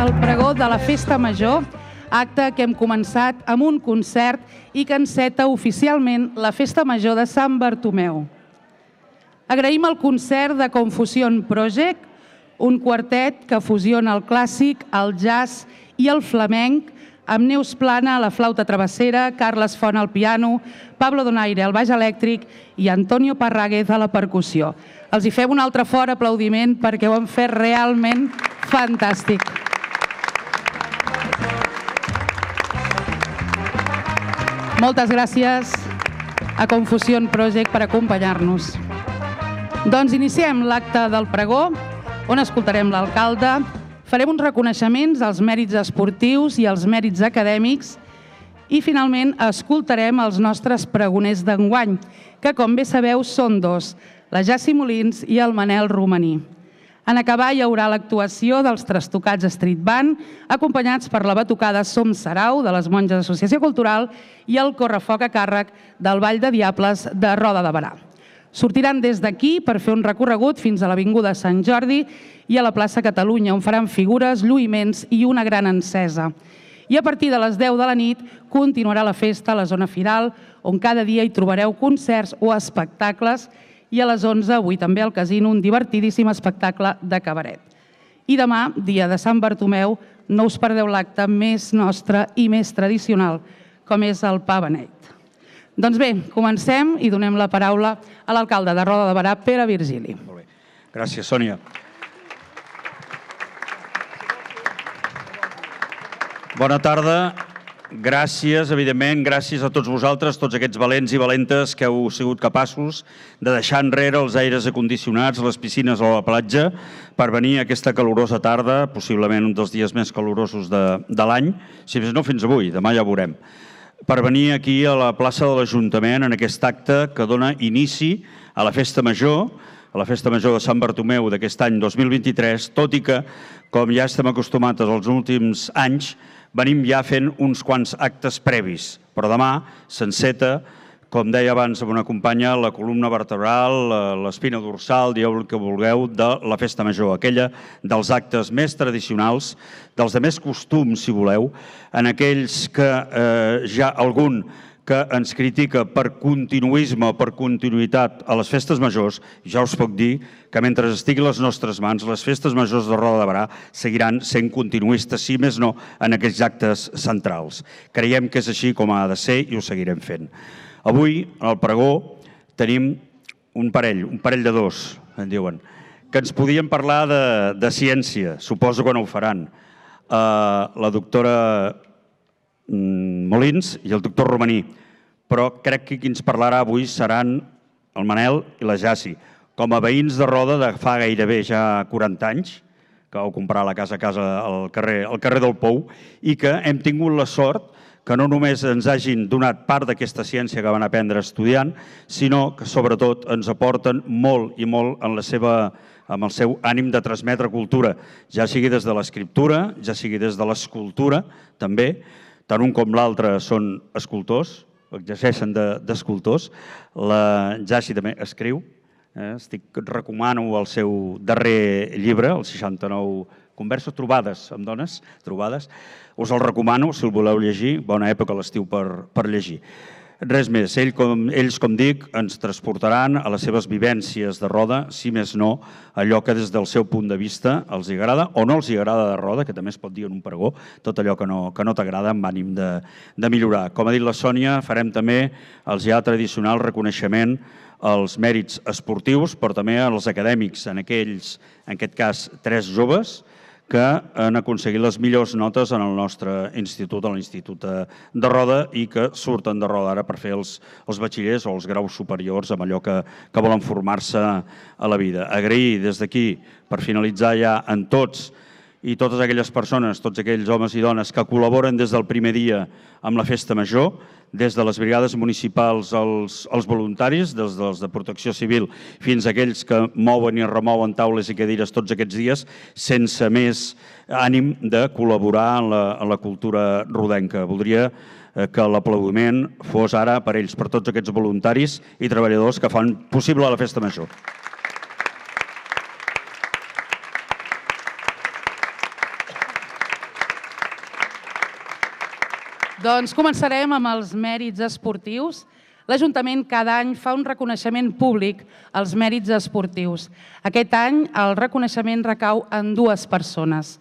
el pregó de la Festa Major, acte que hem començat amb un concert i que enceta oficialment la Festa Major de Sant Bartomeu. Agraïm el concert de Confusion Project, un quartet que fusiona el clàssic, el jazz i el flamenc, amb Neus Plana a la flauta travessera, Carles Font al piano, Pablo Donaire al baix elèctric i Antonio Parráguez a la percussió. Els hi fem un altre fort aplaudiment perquè ho han fet realment fantàstic. Moltes gràcies a Confusion Project per acompanyar-nos. Doncs iniciem l'acte del pregó, on escoltarem l'alcalde, farem uns reconeixements als mèrits esportius i als mèrits acadèmics i finalment escoltarem els nostres pregoners d'enguany, que com bé sabeu són dos, la Jassi Molins i el Manel Romaní. En acabar hi haurà l'actuació dels Trastocats Street Band, acompanyats per la batucada Som Sarau, de les Monges Associació Cultural, i el correfoc a càrrec del Ball de Diables de Roda de Berà. Sortiran des d'aquí per fer un recorregut fins a l'Avinguda Sant Jordi i a la plaça Catalunya, on faran figures, lluïments i una gran encesa. I a partir de les 10 de la nit continuarà la festa a la zona firal, on cada dia hi trobareu concerts o espectacles, i a les 11, avui també al casino, un divertidíssim espectacle de cabaret. I demà, dia de Sant Bartomeu, no us perdeu l'acte més nostre i més tradicional, com és el pa beneit. Doncs bé, comencem i donem la paraula a l'alcalde de Roda de Berà, Pere Virgili. Molt bé. Gràcies, Sònia. Bona tarda. Gràcies, evidentment, gràcies a tots vosaltres, tots aquests valents i valentes que heu sigut capaços de deixar enrere els aires acondicionats, les piscines o la platja per venir a aquesta calorosa tarda, possiblement un dels dies més calorosos de l'any, si més no fins avui, demà ja ho veurem, per venir aquí a la plaça de l'Ajuntament en aquest acte que dona inici a la Festa Major, a la Festa Major de Sant Bartomeu d'aquest any 2023, tot i que, com ja estem acostumats els últims anys, venim ja fent uns quants actes previs, però demà s'enceta, com deia abans amb una companya, la columna vertebral, l'espina dorsal, dieu el que vulgueu, de la Festa Major, aquella dels actes més tradicionals, dels de més costums, si voleu, en aquells que ja algun que ens critica per continuisme o per continuïtat a les festes majors, ja us puc dir que mentre estigui a les nostres mans, les festes majors de Roda de Berà seguiran sent continuistes, si més no, en aquells actes centrals. Creiem que és així com ha de ser i ho seguirem fent. Avui, al pregó, tenim un parell de dos, en diuen, que ens podien parlar de ciència, suposo que no ho faran. La doctora Molins i el doctor Romaní, però crec que qui ens parlarà avui seran el Manel i la Jassi. Com a veïns de Roda de fa gairebé ja 40 anys, que vau comprar la casa a casa al carrer del Pou, i que hem tingut la sort que no només ens hagin donat part d'aquesta ciència que van aprendre estudiant, sinó que sobretot ens aporten molt i molt amb el seu ànim de transmetre cultura, ja sigui des de l'escriptura, ja sigui des de l'escultura, també. Tant un com l'altre són escultors, exerceixen d'escultors. La Jassi també escriu. Recomano el seu darrer llibre, els 69 converses, trobades amb dones, trobades. Us el recomano, si el voleu llegir. Bona època a l'estiu per llegir. Res més, ells, com dic, ens transportaran a les seves vivències de Roda, si més no, allò que des del seu punt de vista els agrada o no els agrada de Roda, que també es pot dir en un pregó, tot allò que no t'agrada amb ànim de millorar. Com ha dit la Sònia, farem també el ja tradicional reconeixement als mèrits esportius, però també als acadèmics, en aquest cas 3 joves, que han aconseguit les millors notes en el nostre institut, a l'Institut de Roda, i que surten de Roda ara per fer els batxillers o els graus superiors amb allò que volen formar-se a la vida. Agrair des d'aquí, per finalitzar ja, en tots i totes aquelles persones, tots aquells homes i dones que col·laboren des del primer dia amb la Festa Major, des de les brigades municipals als voluntaris, des dels de Protecció Civil fins a aquells que mouen i remouen taules i cadires tots aquests dies, sense més ànim de col·laborar en la cultura rodenca. Voldria que l'aplaudiment fos ara per ells, per tots aquests voluntaris i treballadors que fan possible la Festa Major. Doncs començarem amb els mèrits esportius. L'Ajuntament cada any fa un reconeixement públic als mèrits esportius. Aquest any el reconeixement recau en 2 persones.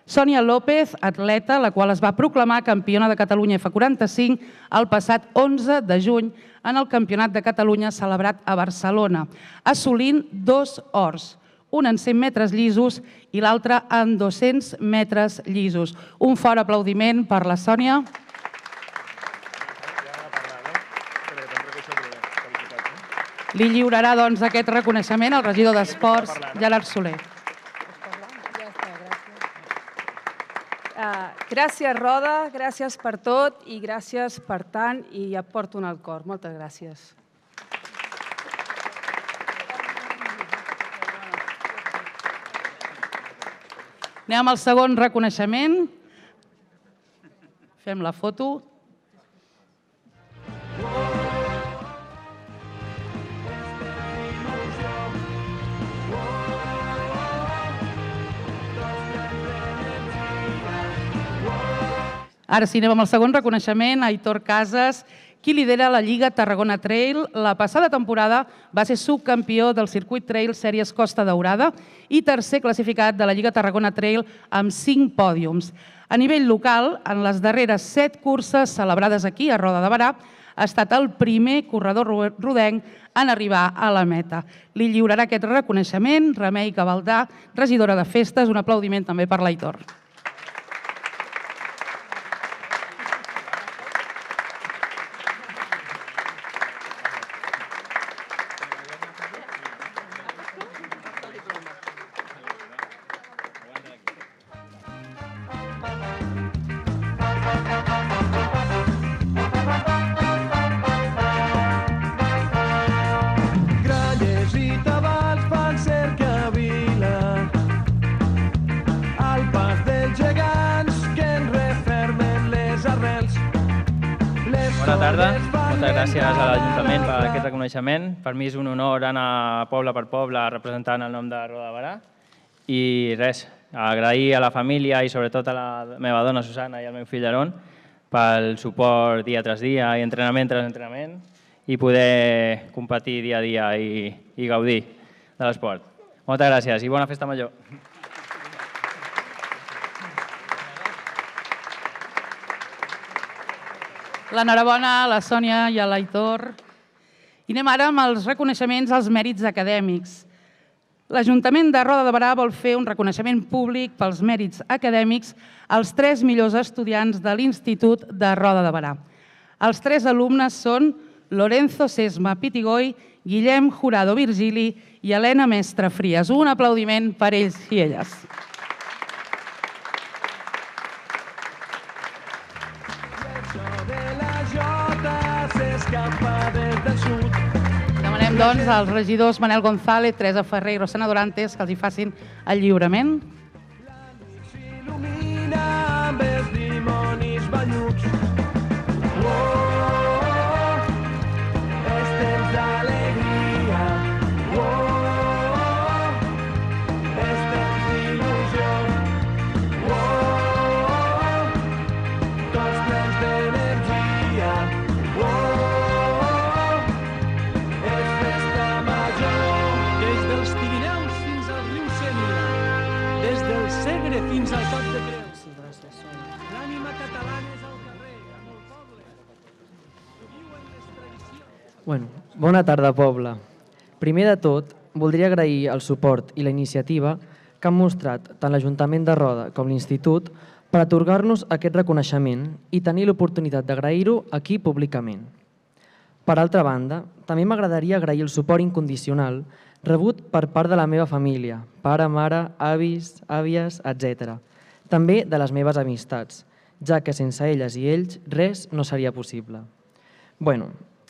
Sònia López, atleta, la qual es va proclamar campiona de Catalunya F45 el passat 11 de juny en el Campionat de Catalunya celebrat a Barcelona, assolint 2 ors, un en 100 metres llisos i l'altre en 200 metres llisos. Un fort aplaudiment per la Sònia. Li lliurarà doncs aquest reconeixement al regidor d'Esports, Gerard Soler. Gràcies, Roda, gràcies per tot i gràcies per tant i ja et porto en el cor. Moltes gràcies. Anem al segon reconeixement. Fem la foto. Ara sí, anem amb el segon reconeixement, Aitor Casas, qui lidera la Lliga Tarragona Trail. La passada temporada va ser subcampió del Circuit Trail Sèries Costa Daurada i tercer classificat de la Lliga Tarragona Trail amb 5 pòdiums. A nivell local, en les darreres 7 curses celebrades aquí a Roda de Berà, ha estat el primer corredor rodenc en arribar a la meta. Li lliurarà aquest reconeixement Remei Cabaldà, regidora de Festes. Un aplaudiment també per l'Aitor. Bona tarda, moltes gràcies a l'Ajuntament per aquest reconeixement. Per mi és un honor anar poble per poble representant el nom de Roda de Berà. I res, agrair a la família i sobretot a la meva dona Susana i al meu fill Aron pel suport dia tras dia i entrenament tras entrenament i poder competir dia a dia i gaudir de l'esport. Moltes gràcies i bona festa major. L'enhorabona a la Sònia i a l'Aitor. I anem ara amb els reconeixements als mèrits acadèmics. L'Ajuntament de Roda de Berà vol fer un reconeixement públic pels mèrits acadèmics als 3 millors estudiants de l'Institut de Roda de Berà. Els 3 alumnes són Lorenzo Sesma Pitigoi, Guillem Jurado Virgili i Helena Mestre Fries. Un aplaudiment per ells i elles. Demanem, doncs, als regidors Manel González, Teresa Ferrer i Rosana Dorantes que els hi facin el lliurament. Fins al Cap de Creus. L'ànima catalana és al carrer, amb el poble. Viuen les tradicions. Bona tarda, poble. Primer de tot, voldria agrair el suport i la iniciativa que han mostrat tant l'Ajuntament de Roda com l'Institut per atorgar-nos aquest reconeixement i tenir l'oportunitat d'agrair-ho aquí públicament. Per altra banda, també m'agradaria agrair el suport incondicional rebut per part de la meva família, pare, mare, avis, àvies, etc. També de les meves amistats, ja que sense elles i ells res no seria possible.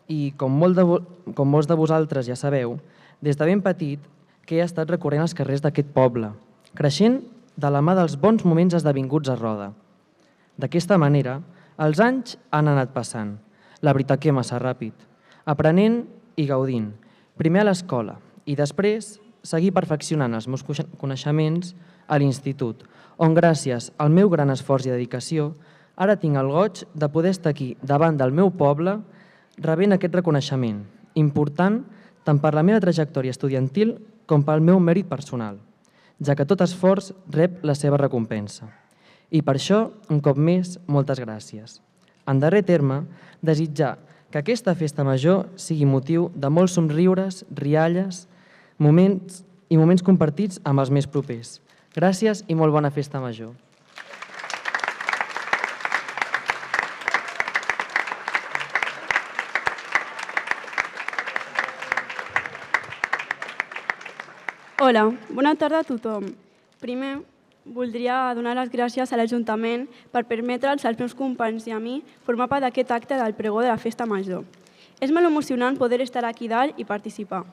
I com molts de vosaltres ja sabeu, des de ben petit que he estat recorrent als carrers d'aquest poble, creixent de la mà dels bons moments esdevinguts a Roda. D'aquesta manera, els anys han anat passant, la veritat que massa ràpid, aprenent i gaudint, primer a l'escola, i després seguir perfeccionant els meus coneixements a l'institut, on gràcies al meu gran esforç i dedicació Ara tinc el goig de poder estar aquí, davant del meu poble, rebent aquest reconeixement, important tant per la meva trajectòria estudiantil com pel meu mèrit personal, ja que tot esforç rep la seva recompensa. I per això, un cop més, moltes gràcies. En darrer terme, desitjar que aquesta festa major sigui motiu de molts somriures, rialles, moments compartits amb els més propers. Gràcies i molt bona festa major. Hola, bona tarda a tothom. Primer, voldria donar les gràcies a l'Ajuntament per permetre'ls als meus companys i a mi formar part d'aquest acte del pregó de la Festa Major. És molt emocionant poder estar aquí dalt i participar.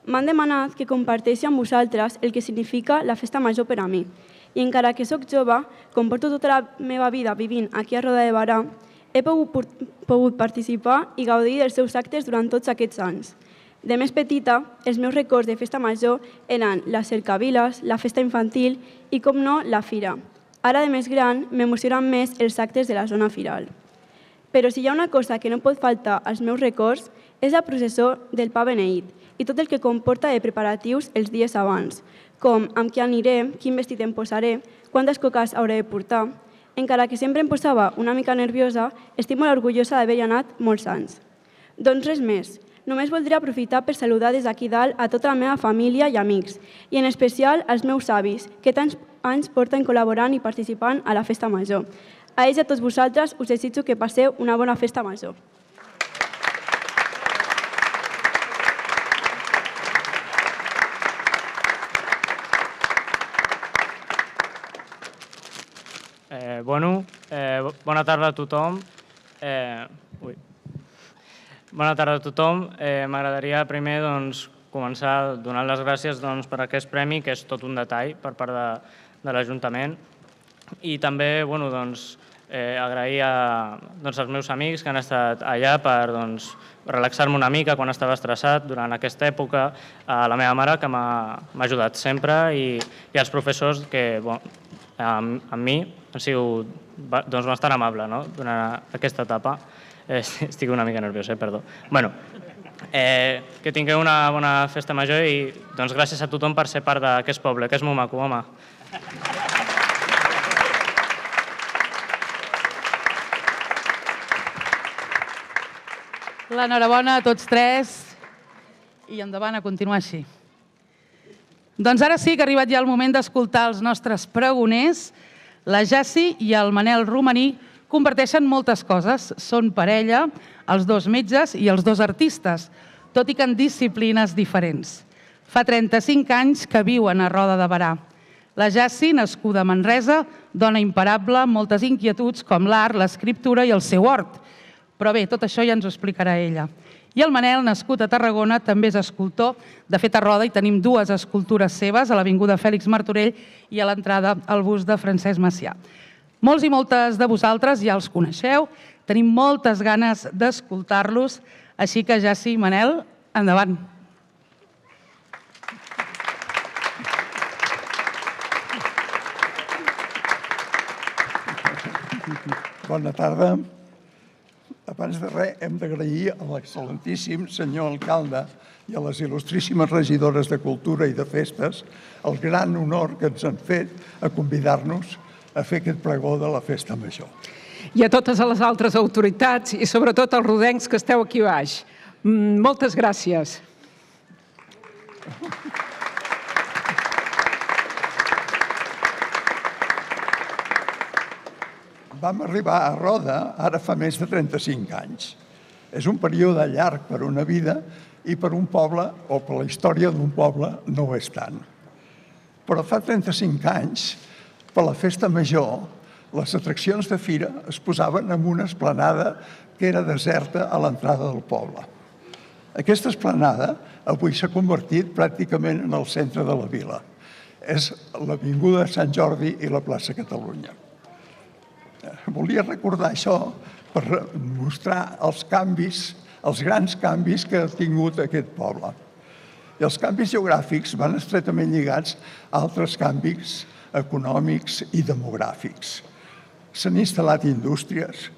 M'han demanat que comparteixi amb vosaltres el que significa la Festa Major per a mi. I encara que sóc jove, com porto tota la meva vida vivint aquí a Roda de Berà, he pogut participar i gaudir dels seus actes durant tots aquests anys. De més petita, els meus records de Festa Major eren les cercaviles, la festa infantil i, com no, la fira. Ara, de més gran, m'emocionen més els actes de la zona firal. Però si hi ha una cosa que no pot faltar als meus records és la processó del pa beneït i tot el que comporta de preparatius els dies abans, com amb qui aniré, quin vestit em posaré, quantes coques hauré de portar. Encara que sempre em posava una mica nerviosa, estic molt orgullosa d'haver-hi anat molts anys. Doncs res més. Només voldria aprofitar per saludar des d'aquí dalt a tota la meva família i amics, i en especial als meus avis, que tants anys porten col·laborant i participant a la Festa Major. A ells i a tots vosaltres us desitjo que passeu una bona Festa Major. Bona tarda a tothom. Bona tarda a tothom. M'agradaria primer començar donant les gràcies per aquest premi, que és tot un detall per part de l'Ajuntament. I també agrair als meus amics que han estat allà per relaxar-me una mica quan estava estressat durant aquesta època, a la meva mare, que m'ha ajudat sempre, i als professors que amb mi han sigut bastant amables durant aquesta etapa. Estic una mica nerviós, perdó. Que tingueu una bona festa major i gràcies a tothom per ser part d'aquest poble, que és molt maco, home. L'enhorabona a tots tres i endavant a continuar així. Doncs ara sí que ha arribat ja el moment d'escoltar els nostres pregoners. La Jassi i el Manel Romaní comparteixen moltes coses. Són parella, els dos metges i els dos artistes, tot i que en disciplines diferents. Fa 35 anys que viuen a Roda de Berà. La Jassi, nascuda a Manresa, dona imparable, moltes inquietuds com l'art, l'escriptura i el seu hort. Però bé, tot això ja ens ho explicarà ella. I el Manel, nascut a Tarragona, també és escultor. De fet, a Roda hi tenim dues escultures seves, a l'avinguda Fèlix Martorell i a l'entrada al bust de Francesc Macià. Molts i moltes de vosaltres ja els coneixeu, tenim moltes ganes d'escoltar-los, així que Jassi i Manel, endavant. Bona tarda. Abans de res, hem d'agrair a l'excel·lentíssim senyor alcalde i a les il·lustríssimes regidores de Cultura i de Festes el gran honor que ens han fet a convidar-nos a fer aquest pregó de la Festa Major. I a totes les altres autoritats i sobretot als rodencs que esteu aquí baix. Moltes gràcies. Vam arribar a Roda ara fa més de 35 anys. És un període llarg per una vida i per un poble, o per la història d'un poble, no ho és tant. Però fa 35 anys, per la Festa Major, les atraccions de fira es posaven en una esplanada que era deserta a l'entrada del poble. Aquesta esplanada avui s'ha convertit pràcticament en el centre de la vila. És l'avinguda Sant Jordi i la plaça Catalunya. Volia recordar això per mostrar els canvis, els grans canvis que ha tingut aquest poble. I els canvis geogràfics van estretament lligats a altres canvis econòmics i demogràfics. S'han instal·lat indústries,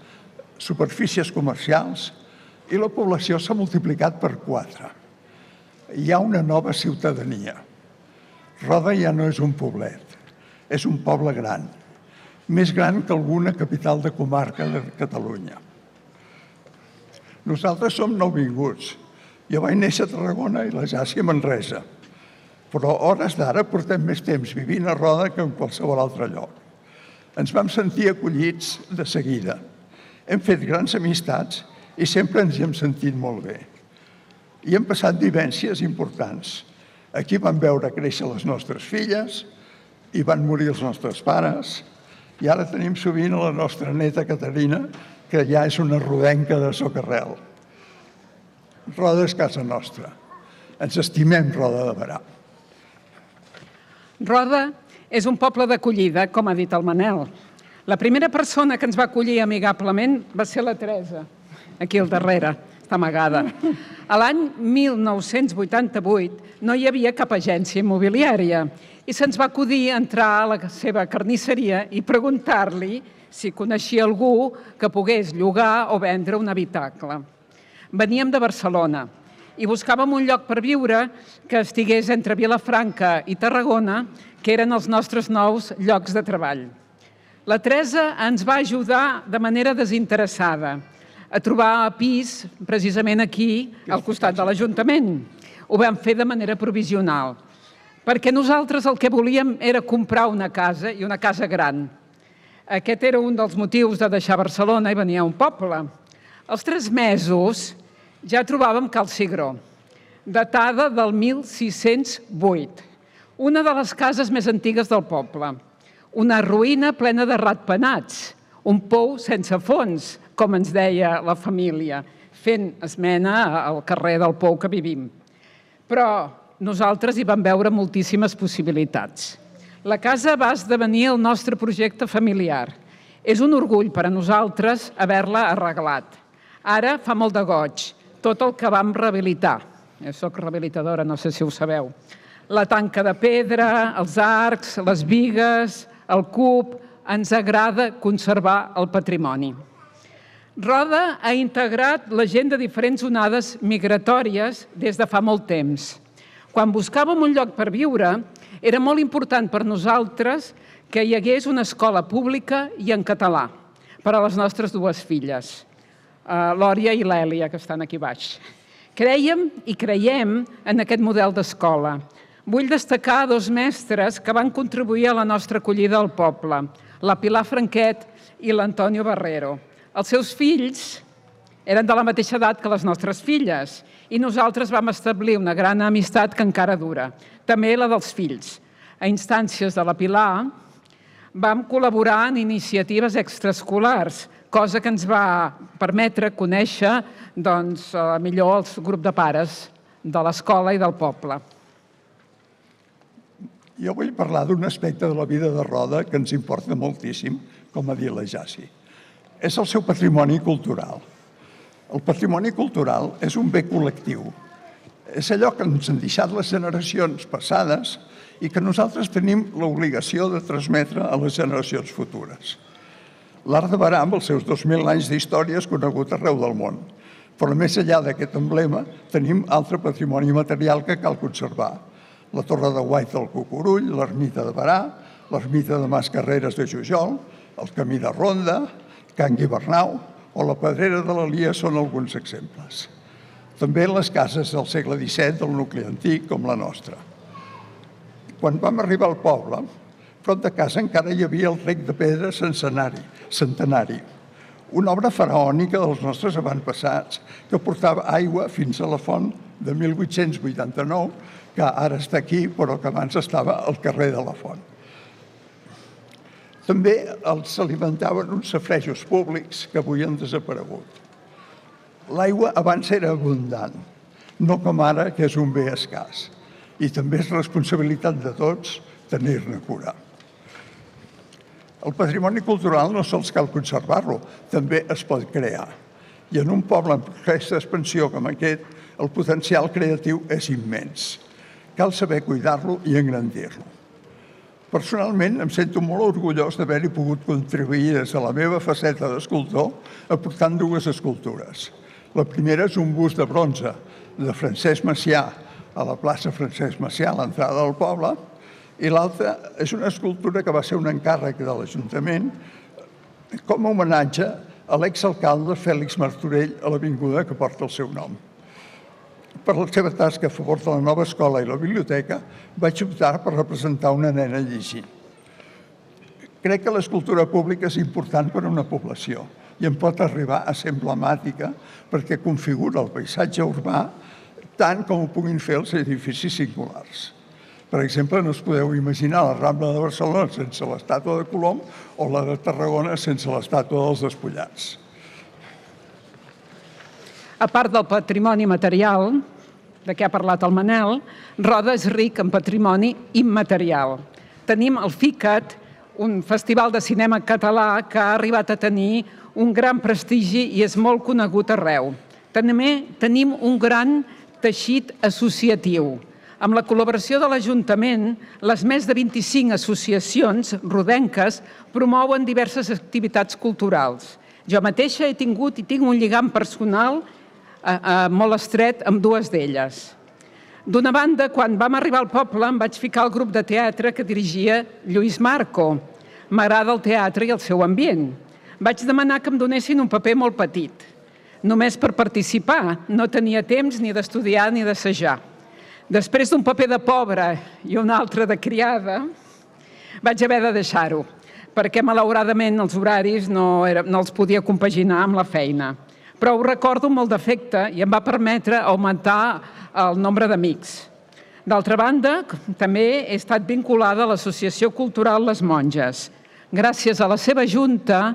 superfícies comercials i la població s'ha multiplicat per 4. Hi ha una nova ciutadania. Roda ja no és un poblet, és un poble gran, més gran que alguna capital de comarca de Catalunya. Nosaltres som nouvinguts. Jo vaig néixer a Tarragona i la Jasi a Manresa, però a hores d'ara portem més temps vivint a Roda que en qualsevol altre lloc. Ens vam sentir acollits de seguida. Hem fet grans amistats i sempre ens hi hem sentit molt bé. I hem passat vivències importants. Aquí vam veure créixer les nostres filles, i van morir els nostres pares, i ara tenim sovint a la nostra neta Caterina, que ja és una rodenca de Socarrel. Roda és casa nostra. Ens estimem Roda de Berà. Roda és un poble d'acollida, com ha dit el Manel. La primera persona que ens va acollir amigablement va ser la Teresa, aquí al darrere, està amagada. A l'any 1988 no hi havia cap agència immobiliària i se'ns va acudir entrar a la seva carnisseria i preguntar-li si coneixia algú que pogués llogar o vendre un habitacle. Veníem de Barcelona i buscàvem un lloc per viure que estigués entre Vilafranca i Tarragona, que eren els nostres nous llocs de treball. La Teresa ens va ajudar de manera desinteressada a trobar pis precisament aquí, al costat de l'Ajuntament. Ho vam fer de manera provisional, perquè nosaltres el que volíem era comprar una casa, i una casa gran. Aquest era un dels motius de deixar Barcelona i venir a un poble. Als 3 mesos ja trobàvem Cal Cigró, datada del 1608, una de les cases més antigues del poble, una ruïna plena de ratpenats, un pou sense fons, com ens deia la família, fent esmena al carrer del pou que vivim. Però nosaltres hi vam veure moltíssimes possibilitats. La casa va esdevenir el nostre projecte familiar. És un orgull per a nosaltres haver-la arreglat. Ara fa molt de goig, tot el que vam rehabilitar. Jo soc rehabilitadora, no sé si ho sabeu. La tanca de pedra, els arcs, les bigues, el cub, ens agrada conservar el patrimoni. Roda ha integrat la gent de diferents onades migratòries des de fa molt temps. Quan buscàvem un lloc per viure, era molt important per nosaltres que hi hagués una escola pública i en català per a les nostres 2 filles, l'Òria i l'Èlia, que estan aquí baix. Crèiem i creiem en aquest model d'escola. Vull destacar 2 mestres que van contribuir a la nostra acollida al poble, la Pilar Franquet i l'Antonio Barrero. Els seus fills eren de la mateixa edat que les nostres filles i nosaltres vam establir una gran amistat que encara dura, també la dels fills. A instàncies de la Pilar vam col·laborar en iniciatives extraescolars, cosa que ens va permetre conèixer millor el grup de pares de l'escola i del poble. Jo vull parlar d'un aspecte de la vida de Roda que ens importa moltíssim, com ha dit la Jasi. És el seu patrimoni cultural. El patrimoni cultural és un bé col·lectiu. És allò que ens han deixat les generacions passades i que nosaltres tenim l'obligació de transmetre a les generacions futures. L'Arc de Berà, amb els seus 2.000 anys d'història, és conegut arreu del món. Però més enllà d'aquest emblema, tenim altre patrimoni material que cal conservar. La Torre de Guaita del Cucurull, l'Ermita de Berà, l'Ermita de Mas Carreres de Jujol, el Camí de Ronda, Can Guibernau o la Pedrera de l'Alia són alguns exemples. També les cases del segle XVII del nucli antic, com la nostra. Quan vam arribar al poble, prop de casa encara hi havia el rec de pedra centenari, una obra faraònica dels nostres avantpassats que portava aigua fins a la font de 1889, que ara està aquí, però que abans estava al carrer de la Font. També els alimentaven uns safaretjos públics que avui han desaparegut. L'aigua abans era abundant, no com ara, que és un bé escàs. I també és responsabilitat de tots tenir-ne cura. El patrimoni cultural no sols cal conservar-lo, també es pot crear. I en un poble amb aquesta expansió com aquest, el potencial creatiu és immens. Cal saber cuidar-lo i engrandir-lo. Personalment, em sento molt orgullós d'haver-hi pogut contribuir des de la meva faceta d'escultor aportant 2 escultures. La primera és un bust de bronze de Francesc Macià a la plaça Francesc Macià, a l'entrada del poble, i l'altra és una escultura que va ser un encàrrec de l'Ajuntament com a homenatge a l'exalcalde Fèlix Martorell a l'avinguda que porta el seu nom. Per la seva tasca a favor de la nova escola i la biblioteca, vaig optar per representar una nena llegint. Crec que l'escultura pública és important per a una població i en pot arribar a ser emblemàtica perquè configura el paisatge urbà tant com ho puguin fer els edificis singulars. Per exemple, no us podeu imaginar la Rambla de Barcelona sense l'estàtua de Colom o la de Tarragona sense l'estàtua dels Despullats. A part del patrimoni material, de què ha parlat el Manel, Roda és ric en patrimoni immaterial. Tenim el FICAT, un festival de cinema català que ha arribat a tenir un gran prestigi i és molt conegut arreu. També tenim un gran teixit associatiu. Amb la col·laboració de l'Ajuntament, les més de 25 associacions rodenques promouen diverses activitats culturals. Jo mateixa he tingut i tinc un lligam personal molt estret amb 2 d'elles. D'una banda, quan vam arribar al poble, em vaig ficar al grup de teatre que dirigia Lluís Marco. M'agrada el teatre i el seu ambient. Vaig demanar que em donessin un paper molt petit, només per participar. No tenia temps ni d'estudiar ni d'assajar. Després d'un paper de pobra i un altre de criada, vaig haver de deixar-ho, perquè malauradament els horaris no els podia compaginar amb la feina. Però ho recordo molt d'afecte i em va permetre augmentar el nombre d'amics. D'altra banda, també he estat vinculada a l'Associació Cultural Les Monges. Gràcies a la seva junta,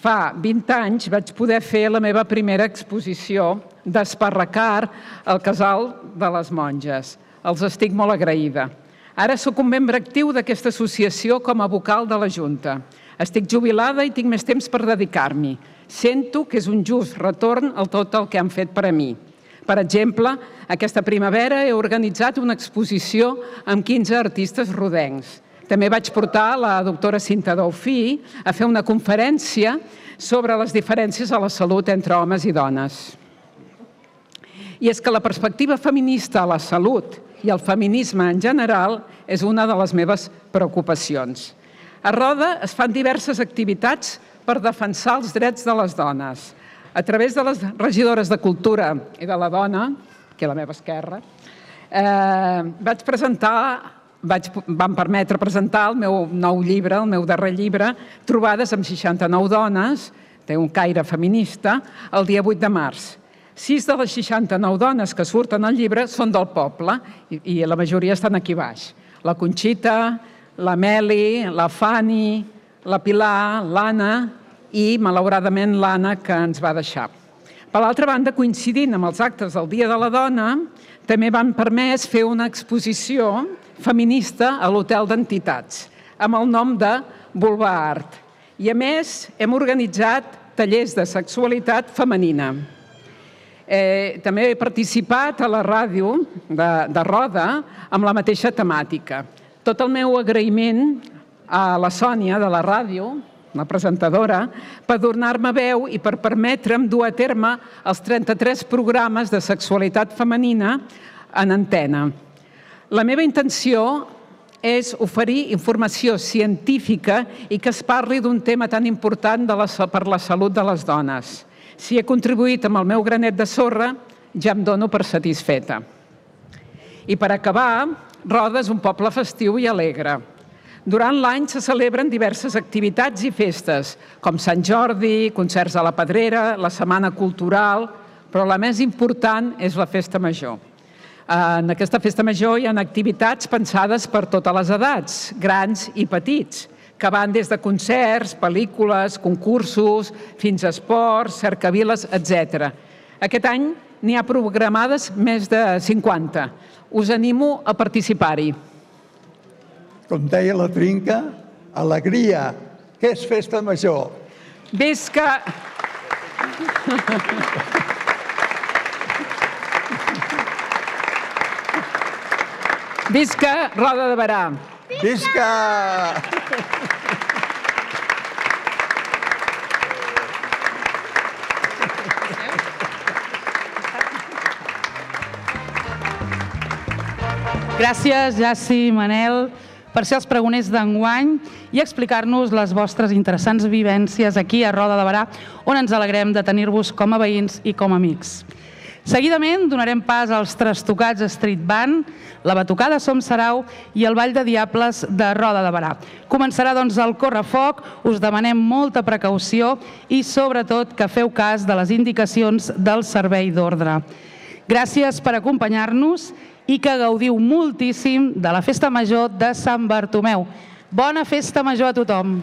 fa 20 anys vaig poder fer la meva primera exposició d'Esparracar al Casal de les Monges. Els estic molt agraïda. Ara sóc un membre actiu d'aquesta associació com a vocal de la Junta. Estic jubilada i tinc més temps per dedicar-m'hi. Sento que és un just retorn a tot el que han fet per a mi. Per exemple, aquesta primavera he organitzat una exposició amb 15 artistes rodencs. També vaig portar la doctora Cinta Daufí a fer una conferència sobre les diferències a la salut entre homes i dones. I és que la perspectiva feminista a la salut i el feminisme en general és una de les meves preocupacions. A Roda es fan diverses activitats per defensar els drets de les dones. A través de les regidores de Cultura i de la Dona, que a la meva esquerra, vam permetre presentar el meu nou llibre, el meu darrer llibre, Trobades amb 69 dones, té un caire feminista, el dia 8 de març. 6 de les 69 dones que surten al llibre són del poble i la majoria estan aquí baix. La Conxita, la Meli, la Fanny, la Pilar, l'Anna i, malauradament, l'Anna, que ens va deixar. Per l'altra banda, coincidint amb els actes del Dia de la Dona, també van permès fer una exposició feminista a l'Hotel d'Entitats, amb el nom de Vulva Art. I, a més, hem organitzat tallers de sexualitat femenina. També he participat a la ràdio de Roda amb la mateixa temàtica. Tot el meu agraïment a la Sònia de la ràdio, la presentadora, per donar-me veu i per permetre'm dur a terme els 33 programes de sexualitat femenina en antena. La meva intenció és oferir informació científica i que es parli d'un tema tan important per la salut de les dones. Si he contribuït amb el meu granet de sorra, ja em dono per satisfeta. I per acabar, Roda és un poble festiu i alegre. Durant l'any se celebren diverses activitats i festes, com Sant Jordi, concerts a la Pedrera, la Setmana Cultural, però la més important és la Festa Major. En aquesta Festa Major hi ha activitats pensades per totes les edats, grans i petits, que van des de concerts, pel·lícules, concursos, fins a esports, cercaviles, etc. Aquest any n'hi ha programades més de 50. Us animo a participar-hi. Com deia la Trinca, alegria. Què és Festa Major? Visca! Visca Roda de Berà! Visca! Gràcies, Jaci i Manel, per ser els pregoners d'enguany i explicar-nos les vostres interessants vivències aquí a Roda de Berà, on ens alegrem de tenir-vos com a veïns i com a amics. Seguidament donarem pas als Trastocats Street Band, la Batucada Som Sarau i el Ball de Diables de Roda de Berà. Començarà doncs el correfoc, us demanem molta precaució i sobretot que feu cas de les indicacions del servei d'ordre. Gràcies per acompanyar-nos i que gaudiu moltíssim de la Festa Major de Sant Bartomeu. Bona Festa Major a tothom!